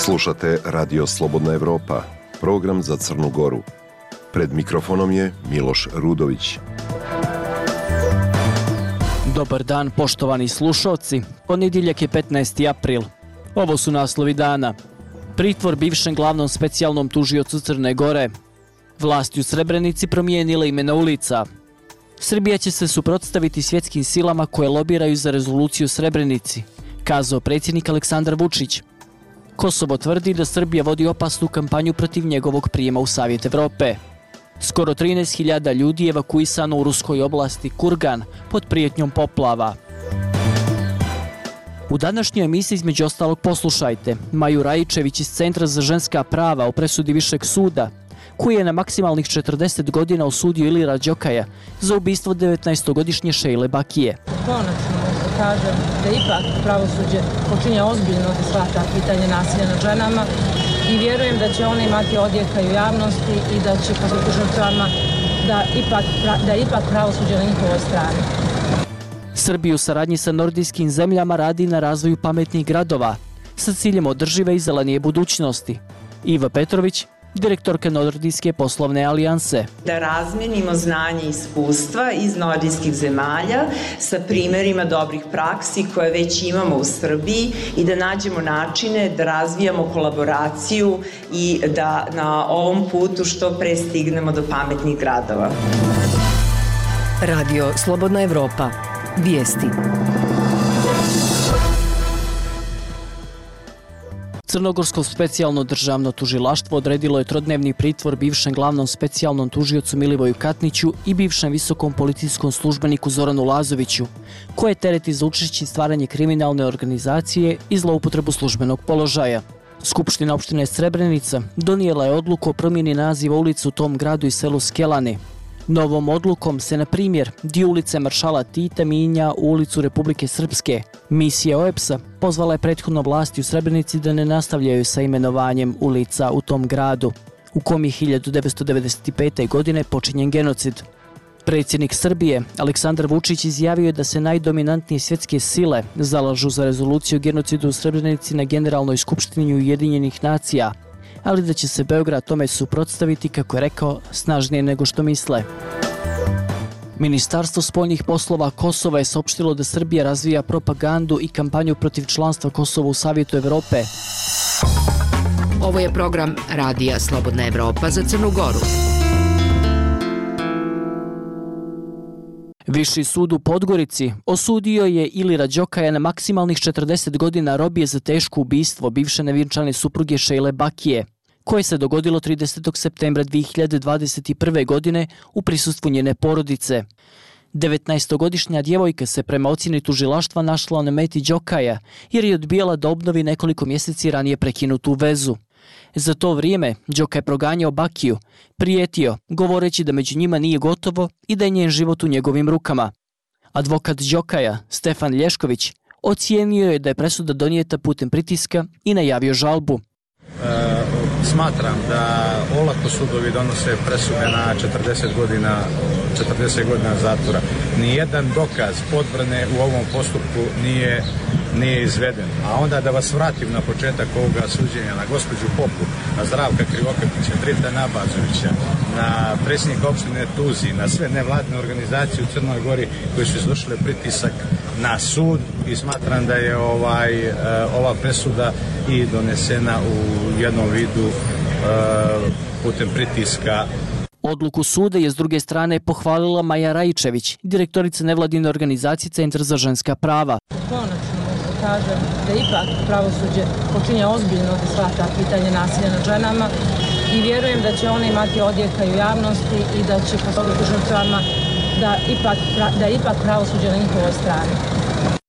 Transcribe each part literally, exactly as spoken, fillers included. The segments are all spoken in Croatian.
Slušate Radio Slobodna Evropa, program za Crnu Goru. Pred mikrofonom je Miloš Rudović. Dobar dan, poštovani slušalci. Ponedjeljak je petnaesti april. Ovo su naslovi dana. Pritvor bivšem glavnom specijalnom tužiocu Crne Gore. Vlasti u Srebrenici promijenile imena ulica. Srbija će se suprotstaviti svjetskim silama koje lobiraju za rezoluciju u Srebrenici, kazao predsjednik Aleksandar Vučić. Kosovo tvrdi da Srbija vodi opasnu kampanju protiv njegovog prijema u Savjet Evrope. Skoro trinaest hiljada ljudi je evakuisano u ruskoj oblasti Kurgan pod prijetnjom poplava. U današnjoj emisiji između ostalog poslušajte Maju Rajičević iz Centra za ženska prava o presudi Višeg suda, koji je na maksimalnih četrdeset godina osudio Ilira Đokaja za ubistvo devetnaestogodišnje Šejle Bakije. Konačno kažem da ipak pravosuđe počinje ozbiljno da shvata pitanje nasilja nad ženama i vjerujem da će one imati odjeka u javnosti i da će pomoći žrtvama da ipak, da ipak pravosuđe na njihovoj strani. Srbija u saradnji sa nordijskim zemljama radi na razvoju pametnih gradova sa ciljem održive i zelenije budućnosti. Iva Petrović, direktorka Nordijske poslovne alijanse. Da razmenimo znanje i iskustva iz nordijskih zemalja sa primjerima dobrih praksi koje već imamo u Srbiji i da nađemo načine da razvijamo kolaboraciju i da na ovom putu što pre stignemo do pametnih gradova. Radio Slobodna Evropa. Vijesti. Crnogorsko specijalno državno tužilaštvo odredilo je trodnevni pritvor bivšem glavnom specijalnom tužiocu Milivoju Katniću i bivšem visokom policijskom službeniku Zoranu Lazoviću, koje tereti za učešće i stvaranje kriminalne organizacije i zloupotrebu službenog položaja. Skupština opštine Srebrenica donijela je odluku o promjeni naziva ulice u tom gradu i selu Skelani. Novom odlukom se, na primjer, dio ulice Maršala Tita mijenja u ulicu Republike Srpske. Misija O E B S-a pozvala je prethodno vlasti u Srebrenici da ne nastavljaju sa imenovanjem ulica u tom gradu, u kom je hiljadu devetsto devedeset pete. godine počinjen genocid. Predsjednik Srbije, Aleksandar Vučić, izjavio je da se najdominantnije svjetske sile zalažu za rezoluciju o genocidu u Srebrenici na Generalnoj skupštini Ujedinjenih nacija, ali da će se Beograd tome suprotstaviti, kako je rekao, snažnije nego što misle. Ministarstvo spoljnih poslova Kosova je saopštilo da Srbija razvija propagandu i kampanju protiv članstva Kosova u Savjetu Evrope. Ovo je program Radija Slobodna Evropa za Crnu Goru. Viši sud u Podgorici osudio je Ilira Đokaja na maksimalnih četrdeset godina robije za teško ubistvo bivše nevjenčane supruge Šejle Bakije, koje se dogodilo tridesetog septembra dvije hiljade dvadeset prve. godine u prisustvu njene porodice. devetnaestogodišnja djevojka se prema ocjeni tužilaštva našla na meti Đokaja jer je odbijala da obnovi nekoliko mjeseci ranije prekinutu vezu. Za to vrijeme Đoka je proganjao Bakiju, prijetio, govoreći da među njima nije gotovo i da je njen život u njegovim rukama. Advokat Đokaja, Stefan Lješković, ocijenio je da je presuda donijeta putem pritiska i najavio žalbu. E, smatram da olako sudovi donose presude na četrdeset godina, četrdeset godina zatvora. Nijedan dokaz odbrane u ovom postupku nije nije izveden. A onda da vas vratim na početak ovoga suđenja, na gospođu Popu, na Zdravka Krivokapića, Drita Nabazovića, na predsjednika opštine Tuzi, na sve nevladine organizacije u Crnoj Gori koji su izvršile pritisak na sud i smatram da je ovaj, ova presuda i donesena u jednom vidu putem pritiska. Odluku suda je s druge strane pohvalila Maja Rajičević, direktorica nevladine organizacije Centra za ženska prava. Konačno kažem da ipak pravosuđe počinje ozbiljno da shvata pitanje nasilja nad ženama i vjerujem da će one imati odjeka u javnosti i da će pomoći žrtvama da ipak, da ipak pravosuđe na njihovoj strani.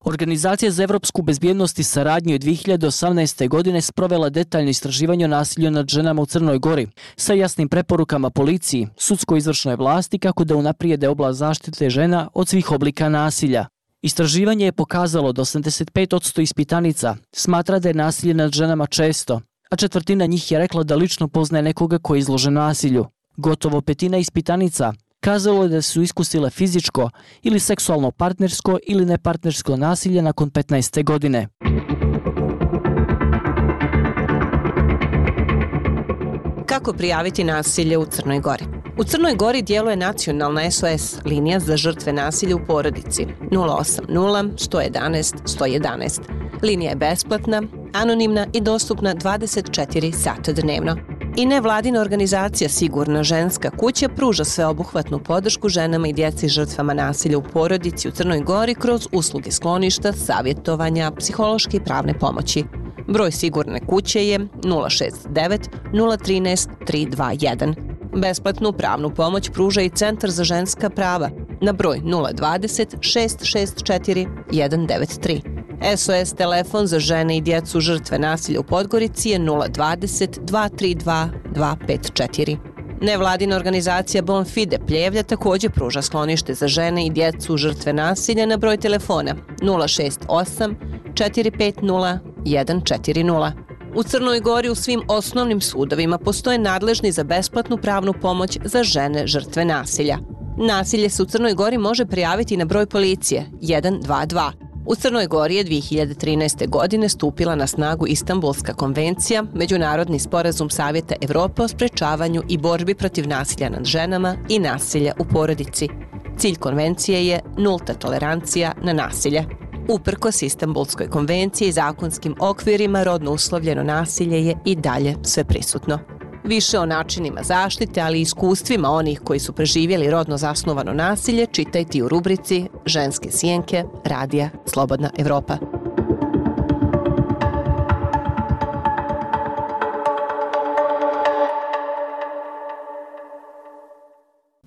Organizacija za evropsku bezbjednost i saradnju je dvije hiljade osamnaeste. godine sprovela detaljno istraživanje o nasilju nad ženama u Crnoj Gori sa jasnim preporukama policiji, sudsko-izvršnoj vlasti kako da unaprijede oblast zaštite žena od svih oblika nasilja. Istraživanje je pokazalo da osamdeset pet posto ispitanica smatra da je nasilje nad ženama često, a četvrtina njih je rekla da lično poznaje nekoga koji je izložen nasilju. Gotovo petina ispitanica kazalo je da su iskusile fizičko ili seksualno partnersko ili nepartnersko nasilje nakon petnaeste godine. Kako prijaviti nasilje u Crnoj Gori? U Crnoj Gori djeluje nacionalna S O S linija za žrtve nasilja u porodici nula osam nula, sto jedanaest, sto jedanaest. Linija je besplatna, anonimna i dostupna dvadeset četiri sata dnevno. I nevladina organizacija Sigurna ženska kuća pruža sveobuhvatnu podršku ženama i djeci žrtvama nasilja u porodici u Crnoj Gori kroz usluge skloništa, savjetovanja, psihološke i pravne pomoći. Broj Sigurne kuće je nula šest devet, nula jedan tri, tri dva jedan. Besplatnu pravnu pomoć pruža i Centar za ženska prava na broj nula dvadeset, šest šest četiri, jedan devet tri. S O S telefon za žene i djecu žrtve nasilja u Podgorici je nula dvadeset, dva tri dva, dva pet četiri. Nevladina organizacija Bonfide Pljevlja također pruža sklonište za žene i djecu žrtve nasilja na broj telefona nula šest osam, četiri pet nula, jedan četiri nula. U Crnoj Gori u svim osnovnim sudovima postoje nadležni za besplatnu pravnu pomoć za žene žrtve nasilja. Nasilje se u Crnoj Gori može prijaviti na broj policije jedan dva dva. U Crnoj Gori je dvije hiljade trinaeste. godine stupila na snagu Istanbulska konvencija, međunarodni sporazum Savjeta Evrope o sprečavanju i borbi protiv nasilja nad ženama i nasilja u porodici. Cilj konvencije je nulta tolerancija na nasilje. Uprkos Istanbulskoj konvenciji i zakonskim okvirima, rodno uslovljeno nasilje je i dalje sve prisutno. Više o načinima zaštite, ali i iskustvima onih koji su preživjeli rodno zasnovano nasilje čitajte u rubrici Ženske sjenke Radija Slobodna Evropa.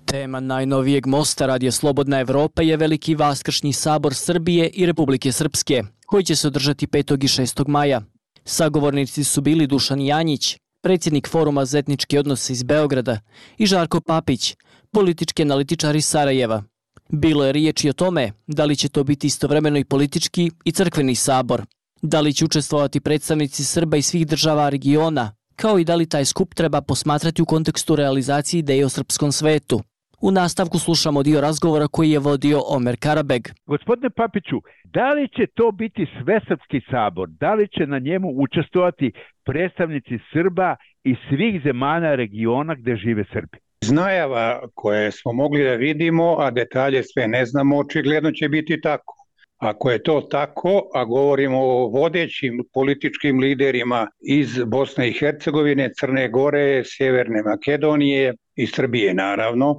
Tema najnovijeg mosta Radija Slobodna Evropa je Veliki vaskršnji sabor Srbije i Republike Srpske, koji će se održati petog i šestog maja. Sagovornici su bili Dušan Janjić, predsjednik Foruma za etničke odnose iz Beograda, i Žarko Papić, politički analitičar iz Sarajeva. Bilo je riječi o tome da li će to biti istovremeno i politički i crkveni sabor, da li će učestvovati predstavnici Srba i svih država regiona, kao i da li taj skup treba posmatrati u kontekstu realizacije ideje o srpskom svetu. U nastavku slušamo dio razgovora koji je vodio Omer Karabeg. Gospodine Papiću, da li će to biti svesrpski sabor? Da li će na njemu učestvovati predstavnici Srba i svih zemalja regiona gdje žive Srbi? Iz najava koje smo mogli da vidimo, a detalje sve ne znamo, očigledno će biti tako. Ako je to tako, a govorimo o vodećim političkim liderima iz Bosne i Hercegovine, Crne Gore, Sjeverne Makedonije i Srbije naravno,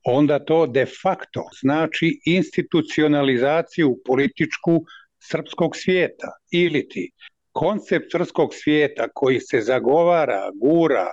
onda to de facto znači institucionalizaciju političku srpskog svijeta. Ili ti koncept srpskog svijeta koji se zagovara, gura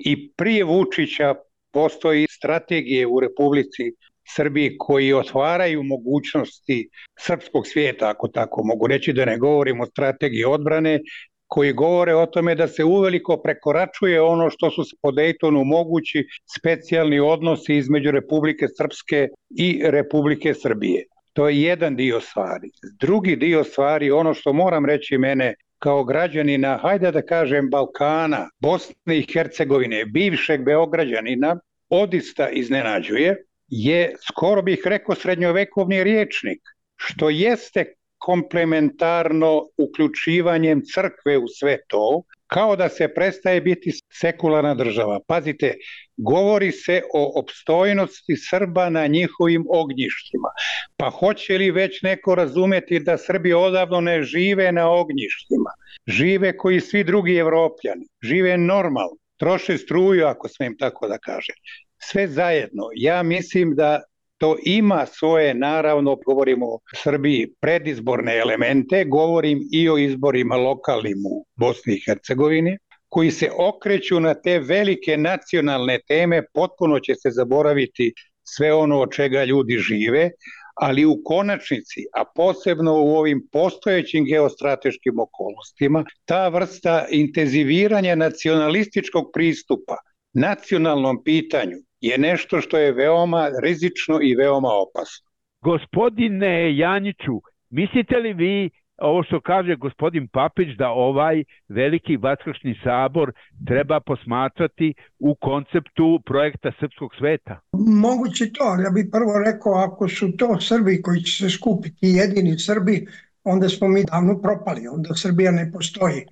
i prije Vučića postoji strategije u Republici Srbiji koji otvaraju mogućnosti srpskog svijeta, ako tako mogu reći, da ne govorimo o strategiji odbrane, koji govore o tome da se uveliko prekoračuje ono što su po Dejtonu mogući specijalni odnosi između Republike Srpske i Republike Srbije. To je jedan dio stvari. Drugi dio stvari, ono što moram reći mene kao građanina, hajde da kažem Balkana, Bosne i Hercegovine, bivšeg Beograđanina, odista iznenađuje, je, skoro bih rekao, srednjovekovni rječnik, što jeste komplementarno uključivanjem crkve u sve to, kao da se prestaje biti sekularna država. Pazite, govori se o opstojnosti Srba na njihovim ognjištima. Pa hoće li već neko razumeti da Srbi odavno ne žive na ognjištima? Žive koji svi drugi Evropljani. Žive normalno. Troše struju, ako smijem tako da kažem. Sve zajedno. Ja mislim da to ima svoje, naravno, govorimo o Srbiji, predizborne elemente, govorim i o izborima lokalnim u Bosni i Hercegovini, koji se okreću na te velike nacionalne teme, potpuno će se zaboraviti sve ono od čega ljudi žive, ali u konačnici, a posebno u ovim postojećim geostrateškim okolnostima, ta vrsta intenziviranja nacionalističkog pristupa nacionalnom pitanju je nešto što je veoma rizično i veoma opasno. Gospodine Janjiću, mislite li vi, ovo što kaže gospodin Papić, da ovaj Veliki vaskršnji sabor treba posmatrati u konceptu projekta srpskog sveta? Moguće to, ali ja bih prvo rekao, ako su to Srbi koji će se skupiti, jedini Srbi, onda smo mi davno propali, onda Srbija ne postoji.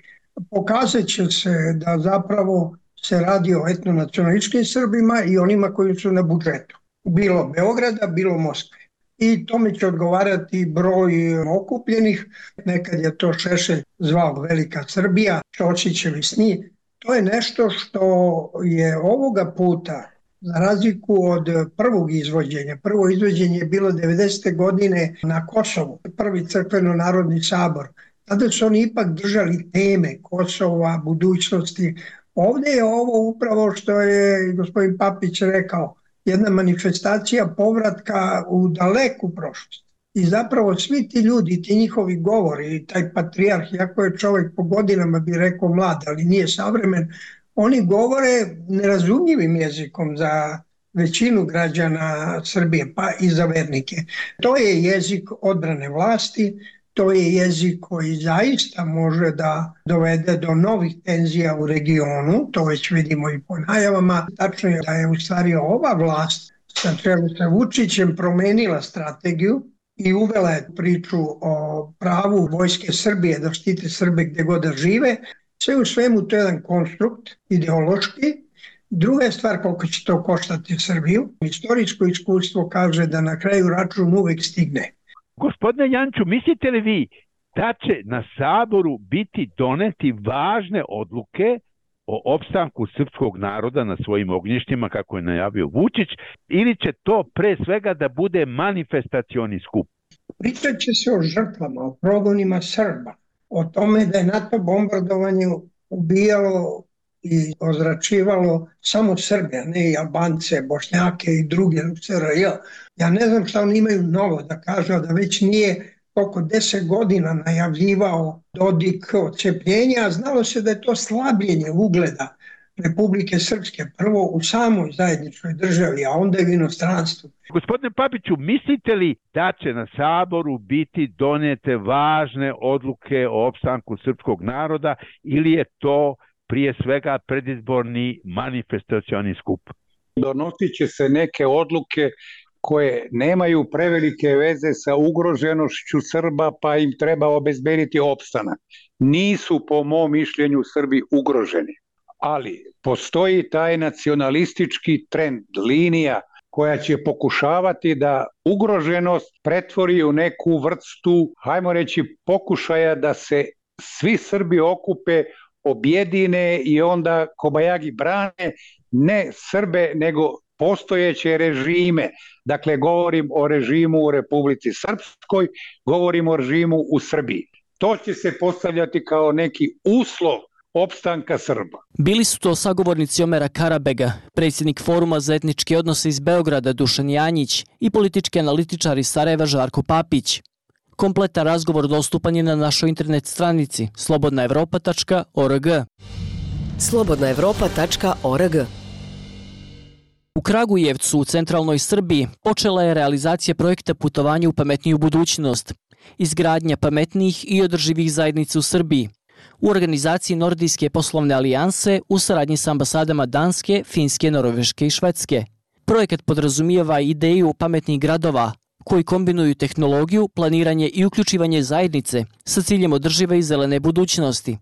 Pokazat će se da zapravo se radi o etnonacionalističkim Srbima i onima koji su na budžetu. Bilo Beograda, bilo Moskve. I tome će odgovarati broj okupljenih. Nekad je to Šešelj zvao Velika Srbija, Ćosićevi sni. To je nešto što je ovoga puta, za razliku od prvog izvođenja. Prvo izvođenje je bilo devedesete godine na Kosovu, prvi crkveno-narodni sabor. Tada su oni ipak držali teme Kosova, budućnosti. Ovdje je ovo upravo što je gospodin Papić rekao, jedna manifestacija povratka u daleku prošlost. I zapravo svi ti ljudi, ti njihovi govori, taj patrijarh, iako je čovjek po godinama bi rekao mlad, ali nije savremen, oni govore nerazumljivim jezikom za većinu građana Srbije, pa i za vernike. To je jezik odbrane vlasti, to je jezik koji zaista može da dovede do novih tenzija u regionu, to već vidimo i po najavama. Tačno je da je u stvari ova vlast sa čelu sa Vučićem promenila strategiju i uvela je priču o pravu vojske Srbije da štite Srbe gdje god da žive. Sve u svemu to je jedan konstrukt ideološki. Druga je stvar koliko će to koštati Srbiju. Istorijsko iskustvo kaže da na kraju račun uvek stigne. Gospodine Janču, mislite li vi da će na Saboru biti doneti važne odluke o opstanku srpskog naroda na svojim ognjištima, kako je najavio Vučić, ili će to pre svega da bude manifestacioni skup? Pričat će se o žrtvama, o progonima Srba, o tome da je NATO bombardovanje ubijalo i ozračivalo samo Srbe, a ne i Albance, Bošnjake i druge u S R J. Ja ne znam šta oni imaju novo da kažu, da već nije oko deset godina najavljivao Dodik odcepljenja, a znalo se da je to slabljenje ugleda Republike Srpske, prvo u samoj zajedničkoj državi, a onda i u inostranstvu. Gospodine Papiću, mislite li da će na Saboru biti donete važne odluke o opstanku srpskog naroda ili je to prije svega predizborni manifestacioni skup? Donosit će se neke odluke koje nemaju prevelike veze sa ugroženošću Srba, pa im treba obezbediti opstanak. Nisu, po mom mišljenju, Srbi ugroženi. Ali postoji taj nacionalistički trend, linija koja će pokušavati da ugroženost pretvori u neku vrstu, hajmo reći, pokušaja da se svi Srbi okupe, objedine i onda kobajagi brane ne Srbe nego postojeće režime. Dakle, govorim o režimu u Republici Srpskoj, govorim o režimu u Srbiji. To će se postavljati kao neki uslov opstanka Srba. Bili su to sagovornici Omera Karabega, predsjednik Foruma za etničke odnose iz Beograda Dušan Janjić i politički analitičar iz Sarajeva Žarko Papić. Kompletan razgovor dostupan je na našoj internet stranici slobodna evropa tačka org. slobodna evropa tačka org. U Kragujevcu, u centralnoj Srbiji, počela je realizacija projekta putovanja u pametniju budućnost, izgradnja pametnijih i održivih zajednica u Srbiji, u organizaciji Nordijske poslovne alijanse u saradnji s ambasadama Danske, Finske, Norveške i Švedske. Projekat podrazumijeva ideju pametnih gradova, koji kombinuju tehnologiju, planiranje i uključivanje zajednice sa ciljem održive i zelene budućnosti.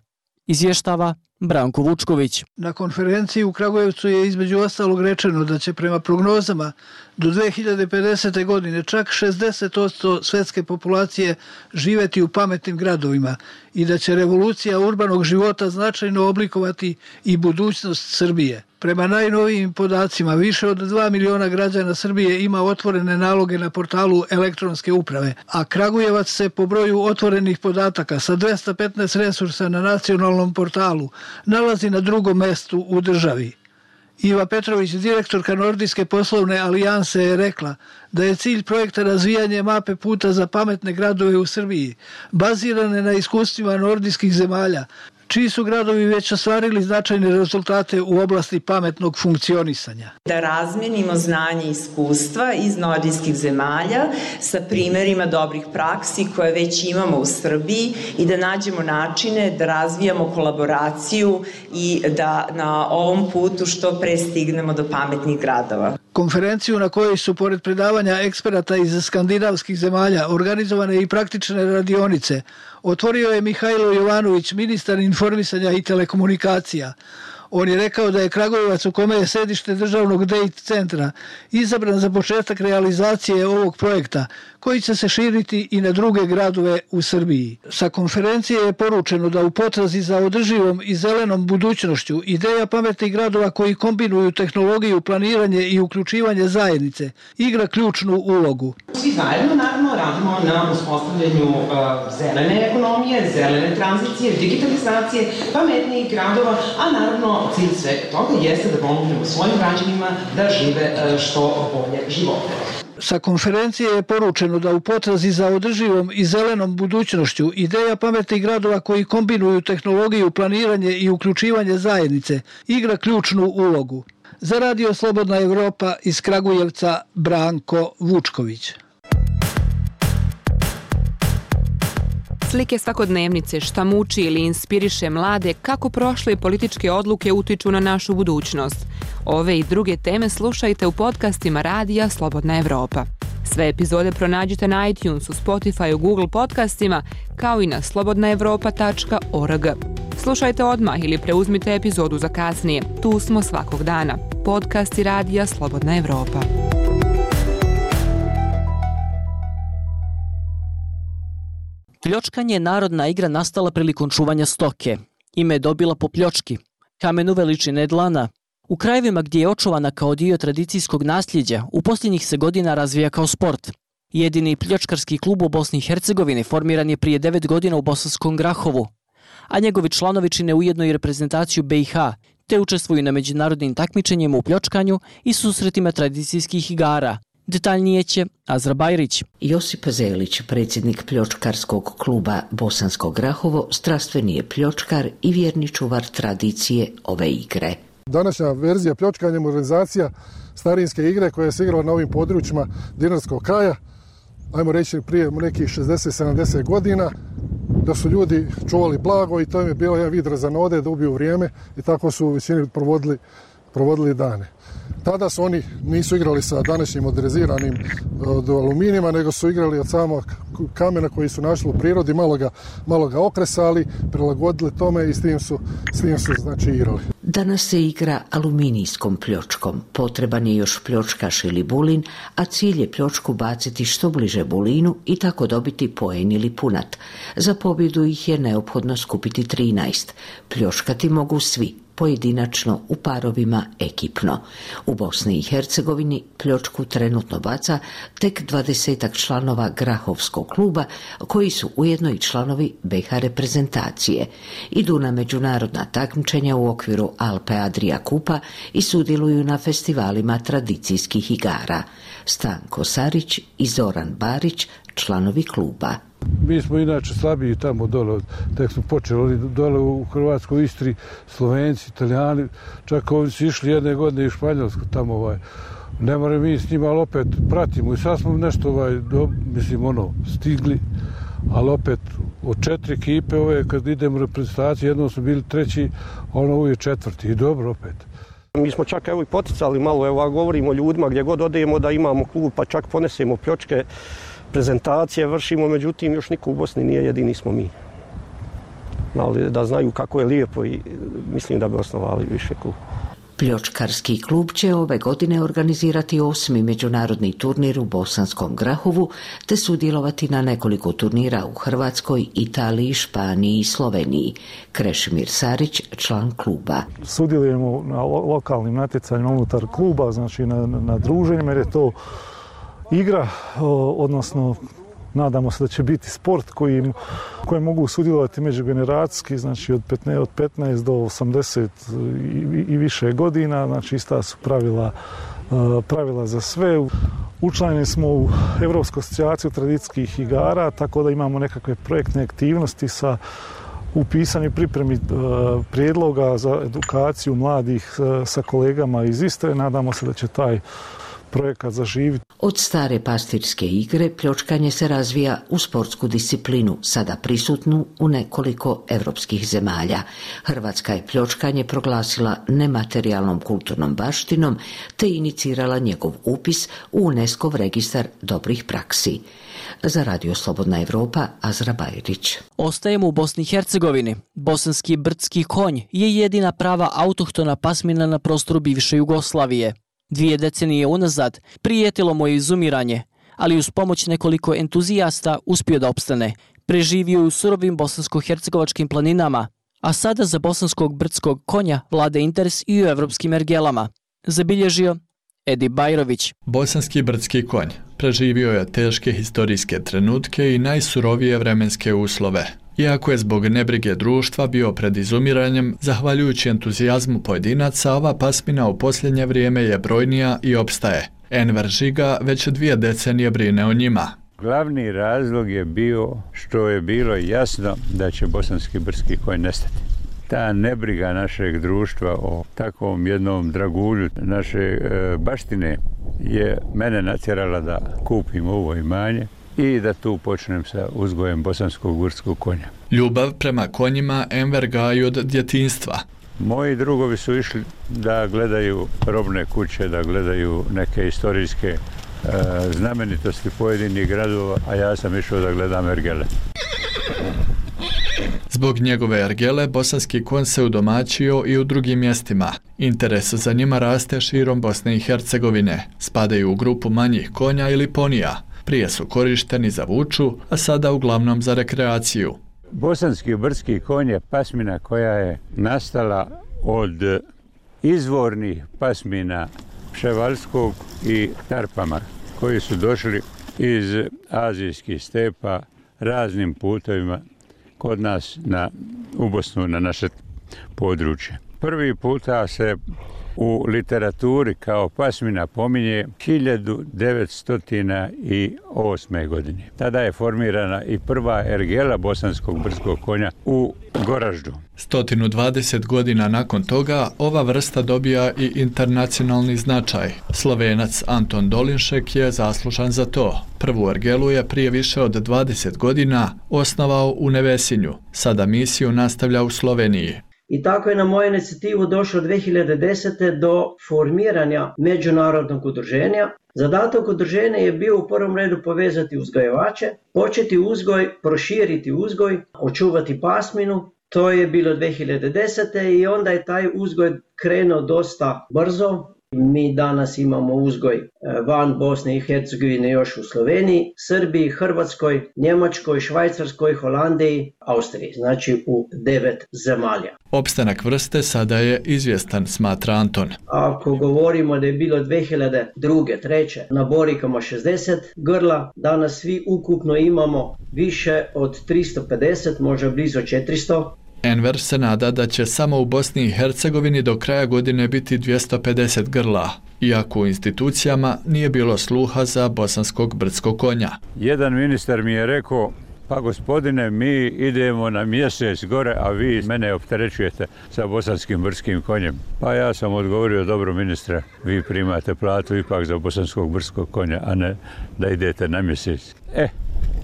Izvještava Branko Vučković. Na konferenciji u Kragujevcu je između ostalog rečeno da će prema prognozama do dve hiljade pedesete. godine čak šezdeset posto svetske populacije živjeti u pametnim gradovima i da će revolucija urbanog života značajno oblikovati i budućnost Srbije. Prema najnovijim podacima, više od dva miliona građana Srbije ima otvorene naloge na portalu elektronske uprave, a Kragujevac se po broju otvorenih podataka sa dvesta petnaest resursa na nacionalnom portalu nalazi na drugom mestu u državi. Iva Petrović, direktorka Nordijske poslovne alijanse, je rekla da je cilj projekta razvijanje mape puta za pametne gradove u Srbiji, bazirane na iskustvima nordijskih zemalja, čiji su gradovi već ostvarili značajne rezultate u oblasti pametnog funkcionisanja. Da razmijenimo znanje i iskustva iz nordijskih zemalja sa primjerima dobrih praksi koje već imamo u Srbiji i da nađemo načine da razvijamo kolaboraciju i da na ovom putu što pre stignemo do pametnih gradova. Konferenciju na kojoj su pored predavanja eksperata iz skandinavskih zemalja organizovane i praktične radionice otvorio je Mihajlo Jovanović, ministar informisanja i telekomunikacija. On je rekao da je Kragujevac, u kome je sedište državnog D I T centra, izabran za početak realizacije ovog projekta, koji će se širiti i na druge gradove u Srbiji. Sa konferencije je poručeno da u potrazi za održivom i zelenom budućnošću ideja pametnih gradova koji kombinuju tehnologiju, planiranje i uključivanje zajednice igra ključnu ulogu. Svi zajedno naravno radimo na uspostavljanju uh, zelene ekonomije, zelene tranzicije, digitalizacije, pametnijih gradova, a naravno cilj svega toga jeste da pomognemo svojim građanima da žive uh, što bolje živote. Sa konferencije je poručeno da u potrazi za održivom i zelenom budućnošću ideja pametnih gradova koji kombinuju tehnologiju, planiranje i uključivanje zajednice igra ključnu ulogu. Za Radio Slobodna Evropa iz Kragujevca, Branko Vučković. Slike svakodnevnice, šta muči ili inspiriše mlade, kako prošle političke odluke utiču na našu budućnost. Ove i druge teme slušajte u podcastima Radija Slobodna Evropa. Sve epizode pronađite na iTunesu, Spotify, Google podcastima, kao i na slobodna evropa tačka org. Slušajte odmah ili preuzmite epizodu za kasnije. Tu smo svakog dana. Podcasti Radija Slobodna Evropa. Pljočkanje je narodna igra nastala prilikom čuvanja stoke. Ime je dobila po pljočki, kamenu veličine dlana. U krajevima gdje je očuvana kao dio tradicijskog nasljeđa, u posljednjih se godina razvija kao sport. Jedini pljočkarski klub u Bosni i Hercegovini formiran je prije devet godina u Bosanskom Grahovu, a njegovi članovi čine ujedno i reprezentaciju B i H, te učestvuju na međunarodnim takmičenjima u pljočkanju i susretima tradicijskih igara. Detaljnije će Azra Bajrić. Josip Zelić, predsjednik pljočkarskog kluba Bosansko Grahovo, strastveni je pljočkar i vjerni čuvar tradicije ove igre. Današnja verzija pljočkanja je modernizacija starinske igre koja se igrala na ovim područjima dinarskog kraja, ajmo reći prije nekih šezdeset sedamdeset godina, da su ljudi čuvali blago i to im je bilo jedan vid razanode da ubiju vrijeme i tako su u većini provodili, provodili dane. Tada su oni nisu igrali sa današnjim moderniziranim od aluminijima, nego su igrali od samog kamena koji su našli u prirodi, malo ga, malo ga okresali, prilagodili tome i s tim su, s tim su znači igrali. Danas se igra aluminijskom pljočkom. Potreban je još pljočkaš ili bulin, a cilj je pljočku baciti što bliže bulinu i tako dobiti poen ili punat. Za pobjedu ih je neophodno skupiti trinaest. Pljočkati mogu svi, pojedinačno, u parovima, ekipno. U Bosni i Hercegovini pljočku trenutno baca tek dvadesetak članova Grahovskog kluba, koji su ujedno i članovi B i H reprezentacije. Idu na međunarodna takmičenja u okviru Alpe Adria Kupa i sudjeluju na festivalima tradicijskih igara. Stanko Sarić i Zoran Barić, članovi kluba. Mi smo inače slabiji tamo dole, tek smo počeli dole u Hrvatskoj, Istri, Slovenci, Italijani, čak ovdje su išli jedne godine i u Španjolsku tamo, ovaj, ne moramo mi s njima, ali opet pratimo i sad smo nešto, ovaj, do, mislim, ono, stigli, ali opet od četiri ekipe, ove, kad idemo u reprezentaciju, jednom smo bili treći, ono uvijek četvrti i dobro opet. Mi smo čak evo i poticali malo, evo govorimo o ljudima gdje god odemo da imamo klub, pa čak ponesemo pljočke, prezentacije vršimo, međutim još niko u Bosni nije, jedini smo mi. Ali da znaju kako je lijepo i mislim da bi osnovali više klub. Pljočkarski klub će ove godine organizirati osmi međunarodni turnir u Bosanskom Grahovu te sudjelovati na nekoliko turnira u Hrvatskoj, Italiji, Španiji i Sloveniji. Krešimir Sarić, član kluba. Sudjelujemo na lo- lokalnim natjecanjima unutar kluba, znači na, na druženjima, jer je to igra, odnosno nadamo se da će biti sport koji, koji mogu sudjelovati međugeneracijski, znači od petnaest do osamdeset i, i više godina, znači ista su pravila, pravila za sve. Učlanjeni smo u Evropsku asocijaciju tradicijskih igara, tako da imamo nekakve projektne aktivnosti sa u pisanju i pripremi prijedloga za edukaciju mladih sa kolegama iz Istre. Nadamo se da će taj projekat zaživiti. Od stare pastirske igre pljočkanje se razvija u sportsku disciplinu, sada prisutnu u nekoliko evropskih zemalja. Hrvatska je pljočkanje proglasila nematerijalnom kulturnom baštinom te inicirala njegov upis u UNESCO-v registar dobrih praksi. Za Radio Slobodna Evropa, Azra Bajrić. Ostajemo u Bosni i Hercegovini. Bosanski brdski konj je jedina prava autohtona pasmina na prostoru bivše Jugoslavije. Dvije decenije unazad prijetilo mu je izumiranje, ali uz pomoć nekoliko entuzijasta uspio da opstane. Preživio je u surovim bosansko-hercegovačkim planinama, a sada za bosanskog brdskog konja vlada interes i u evropskim ergelama. Zabilježio Edip Bajrović. Bosanski brdski konj preživio je teške historijske trenutke i najsurovije vremenske uslove. Iako je zbog nebrige društva bio pred izumiranjem, zahvaljujući entuzijazmu pojedinaca, ova pasmina u posljednje vrijeme je brojnija i opstaje. Enver Žiga već dvije decenije brine o njima. Glavni razlog je bio što je bilo jasno da će bosanski brdski konj nestati. Ta nebriga našeg društva o takvom jednom dragulju naše e, baštine je mene natjerala da kupim ovo imanje i da tu počnem sa uzgojem bosanskog brdskog konja. Ljubav prema konjima Enver gaji od djetinjstva. Moji drugovi su išli da gledaju robne kuće, da gledaju neke historijske e, znamenitosti pojedinih gradova, a ja sam išao da gledam ergele. Zbog njegove ergele, bosanski konj se udomaćio i u drugim mjestima. Interes za njima raste širom Bosne i Hercegovine. Spadaju u grupu manjih konja ili ponija. Prije su korišteni za vuču, a sada uglavnom za rekreaciju. Bosanski brdski konj je pasmina koja je nastala od izvornih pasmina Pševalskog i Tarpama, koji su došli iz azijskih stepa raznim putovima kod nas na, u Bosnu, na naše područje. Prvi puta se u literaturi kao pasmina pominje hiljadu devetsto osme. godine. Tada je formirana i prva ergela bosanskog brdskog konja u Goraždu. sto dvadeset godina nakon toga ova vrsta dobija i internacionalni značaj. Slovenac Anton Dolinšek je zaslužan za to. Prvu ergelu je prije više od dvadeset godina osnovao u Nevesinju. Sada misiju nastavlja u Sloveniji. I tako je na moju inicijativu došlo dve hiljade desete. do formiranja međunarodnog udruženja. Zadatak udruženja je bio u prvom redu povezati uzgajivače, početi uzgoj, proširiti uzgoj, očuvati pasminu. To je bilo dve hiljade desete. i onda je taj uzgoj krenuo dosta brzo. Mi danas imamo uzgoj van Bosne i Hercegovine još u Sloveniji, Srbiji, Hrvatskoj, Njemačkoj, Švajcarskoj, Holandiji, Austriji, znači u devet zemalja. Opstanak vrste sada je izvjestan, smatra Anton. Ako govorimo da je bilo dve hiljade druge. treće. na Borikama šezdeset grla, danas svi ukupno imamo više od tristo pedeset, možda blizu četiristo. Enver se nada da će samo u Bosni i Hercegovini do kraja godine biti dvjesto pedeset grla, iako u institucijama nije bilo sluha za bosanskog brdskog konja. Jedan ministar mi je rekao, pa gospodine, mi idemo na mjesec gore, a vi mene opterećujete sa bosanskim brdskim konjem. Pa ja sam odgovorio, dobro ministre, vi primate platu ipak za bosanskog brdskog konja, a ne da idete na mjesec. E,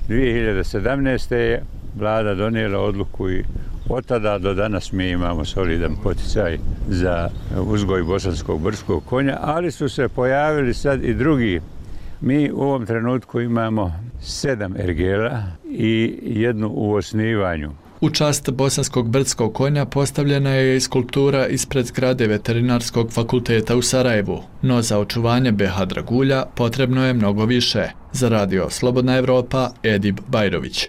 dvije hiljade sedamnaeste. je vlada donijela odluku i od tada do danas mi imamo solidan poticaj za uzgoj bosanskog brdskog konja, ali su se pojavili sad i drugi. Mi u ovom trenutku imamo sedam ergela i jednu u osnivanju. U čast bosanskog brdskog konja postavljena je i skulptura ispred zgrade Veterinarskog fakulteta u Sarajevu, no za očuvanje be ha dragulja potrebno je mnogo više. Za Radio Slobodna Evropa, Edip Bajrović.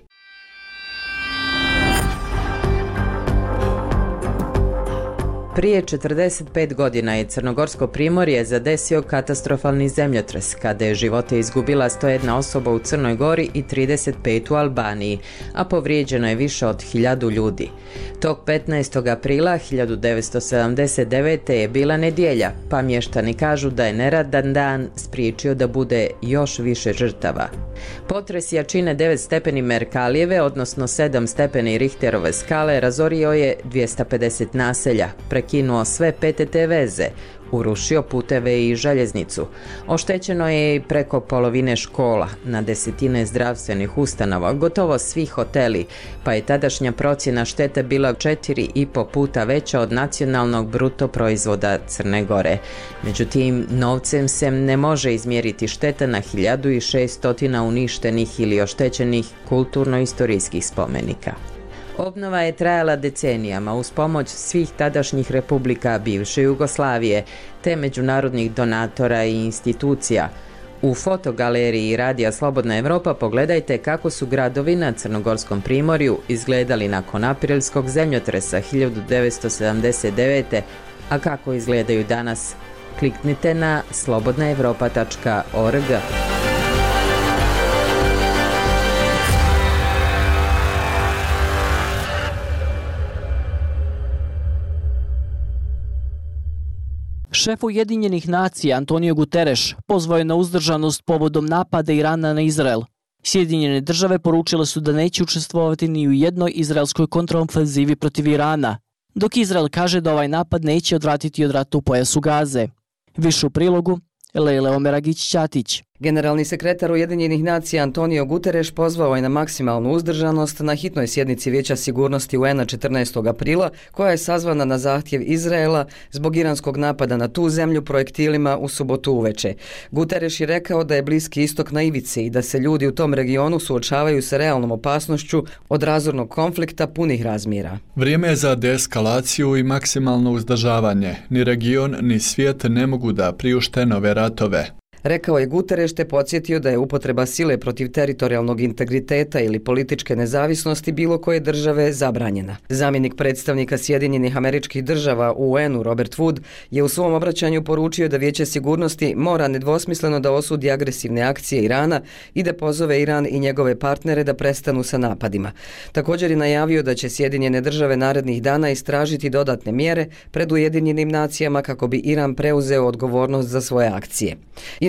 Prije četrdeset pet godina je Crnogorsko primorje zadesio katastrofalni zemljotres, kada je živote izgubila sto jedna osoba u Crnoj Gori i trideset pet u Albaniji, a povrijeđeno je više od hiljadu ljudi. Tog petnaestog aprila hiljadu devetsto sedamdeset devete. je bila nedjelja, pa mještani kažu da je neradan dan spriječio da bude još više žrtava. Potres jačine devet stepeni Merkalijeve, odnosno sedam stepeni Richterove skale, razorio je dvjesto pedeset naselja, prekinuo sve pe te te veze, urušio puteve i željeznicu. Oštećeno je i preko polovine škola, na desetine zdravstvenih ustanova, gotovo svi hoteli, pa je tadašnja procjena štete bila četiri i po puta veća od nacionalnog bruto proizvoda Crne Gore. Međutim, novcem se ne može izmjeriti šteta na hiljadu i šeststotina uništenih ili oštećenih kulturno-istorijskih spomenika. Obnova je trajala decenijama uz pomoć svih tadašnjih republika bivše Jugoslavije, te međunarodnih donatora i institucija. U fotogaleriji Radija Slobodna Evropa pogledajte kako su gradovi na Crnogorskom primorju izgledali nakon aprilskog zemljotresa hiljadu devetsto sedamdeset devete. A kako izgledaju danas? Kliknite na slobodna evropa tačka org. Šef Ujedinjenih nacija Antonio Guterres pozvao je na uzdržanost povodom napada Irana na Izrael. Sjedinjene države poručile su da neće učestvovati ni u jednoj izraelskoj kontraofenzivi protiv Irana, dok Izrael kaže da ovaj napad neće odvratiti od rata u pojasu Gaze. Više u prilogu Lejla Omeragić-Ćatić. Generalni sekretar Ujedinjenih nacija Antonio Guterres pozvao je na maksimalnu uzdržanost na hitnoj sjednici Vijeća sigurnosti U N-a četrnaestog aprila, koja je sazvana na zahtjev Izraela zbog iranskog napada na tu zemlju projektilima u subotu uveče. Guterres je rekao da je Bliski istok na ivici i da se ljudi u tom regionu suočavaju sa realnom opasnošću od razornog konflikta punih razmjera. Vrijeme je za deeskalaciju i maksimalno uzdržavanje. Ni region, ni svijet ne mogu da priušte nove ratove. Rekao je Guterres te podsjetio da je upotreba sile protiv teritorijalnog integriteta ili političke nezavisnosti bilo koje države zabranjena. Zamjenik predstavnika Sjedinjenih Američkih Država u U N-u Robert Wood je u svom obraćanju poručio da Vijeće sigurnosti mora nedvosmisleno da osudi agresivne akcije Irana i da pozove Iran i njegove partnere da prestanu sa napadima. Također je najavio da će Sjedinjene države narednih dana istražiti dodatne mjere pred Ujedinjenim nacijama kako bi Iran preuzeo odgovornost za svoje akcije.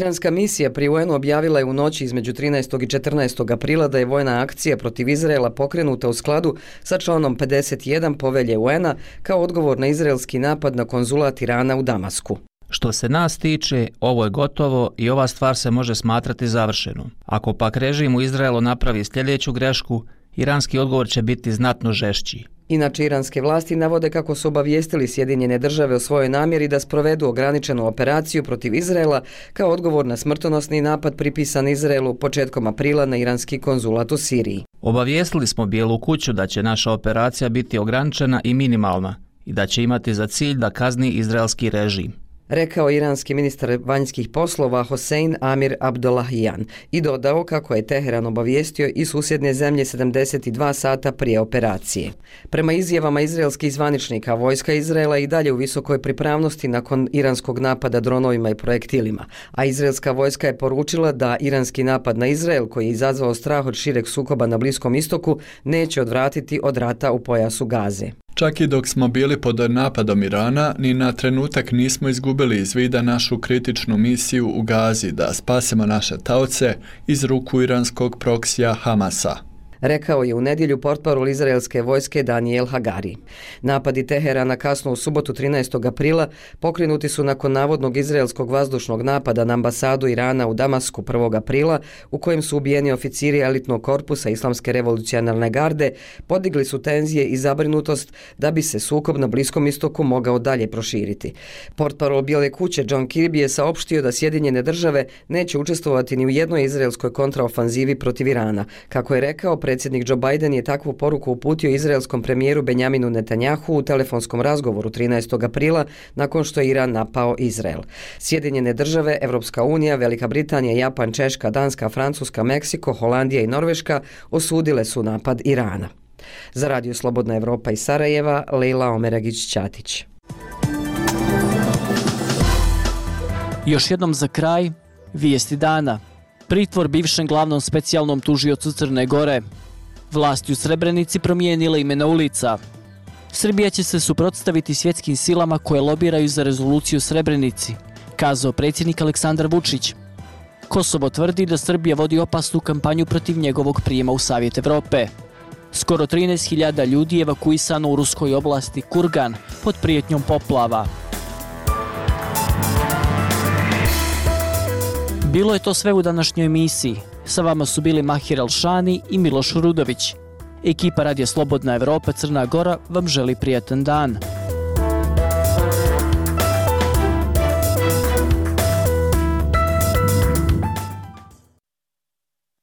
Iranska misija pri U N-u objavila je u noći između trinaestog i četrnaestog aprila da je vojna akcija protiv Izraela pokrenuta u skladu sa članom pedeset jedan povelje U N-a kao odgovor na izraelski napad na konzulat Irana u Damasku. Što se nas tiče, ovo je gotovo i ova stvar se može smatrati završenom. Ako pak režim u Izraelu napravi sljedeću grešku, iranski odgovor će biti znatno žešći. Inače, iranske vlasti navode kako su obavijestili Sjedinjene države o svojoj namjeri da sprovedu ograničenu operaciju protiv Izraela kao odgovor na smrtonosni napad pripisan Izraelu početkom aprila na iranski konzulat u Siriji. Obavijestili smo Bijelu kuću da će naša operacija biti ograničena i minimalna i da će imati za cilj da kazni izraelski režim, rekao iranski ministar vanjskih poslova Hossein Amir Abdollahian i dodao kako je Teheran obavijestio i susjedne zemlje sedamdeset dva sata prije operacije. Prema izjavama izraelskih zvaničnika, vojska Izraela i dalje u visokoj pripravnosti nakon iranskog napada dronovima i projektilima, a izraelska vojska je poručila da iranski napad na Izrael, koji je izazvao strah od šireg sukoba na Bliskom istoku, neće odvratiti od rata u pojasu Gaze. Čak i dok smo bili pod napadom Irana, ni na trenutak nismo izgubili iz vida našu kritičnu misiju u Gazi da spasemo naše taoce iz ruku iranskog proksija Hamasa, rekao je u nedjelju portparol izraelske vojske Daniel Hagari. Napadi Teherana kasno u subotu trinaestog aprila pokrenuti su nakon navodnog izraelskog vazdušnog napada na ambasadu Irana u Damasku prvog aprila, u kojem su ubijeni oficiri elitnog korpusa Islamske revolucionarne garde, podigli su tenzije i zabrinutost da bi se sukob na Bliskom istoku mogao dalje proširiti. Portparol Bijele kuće John Kirby je saopštio da Sjedinjene države neće učestvovati ni u jednoj izraelskoj kontraofanzivi protiv Irana. Kako je rekao, predsjednik Joe Biden je takvu poruku uputio izraelskom premijeru Benjaminu Netanjahu u telefonskom razgovoru trinaestog aprila nakon što je Iran napao Izrael. Sjedinjene države, Evropska unija, Velika Britanija, Japan, Češka, Danska, Francuska, Meksiko, Holandija i Norveška osudile su napad Irana. Za Radio Slobodna Evropa iz Sarajeva, Lejla Omeragić-Ćatić. Još jednom za kraj, vijesti dana. Pritvor bivšem glavnom specijalnom tužiocu Crne Gore. Vlasti u Srebrenici promijenile imena ulica. Srbija će se suprotstaviti svjetskim silama koje lobiraju za rezoluciju u Srebrenici, kazao predsjednik Aleksandar Vučić. Kosovo tvrdi da Srbija vodi opasnu kampanju protiv njegovog prijema u Savjet Evrope. Skoro trinaest hiljada ljudi je evakuisano u ruskoj oblasti Kurgan pod prijetnjom poplava. Bilo je to sve u današnjoj emisiji. Sa vama su bili Mahir Alšani i Miloš Rudović. Ekipa Radija Slobodna Evropa Crna Gora vam želi prijatan dan.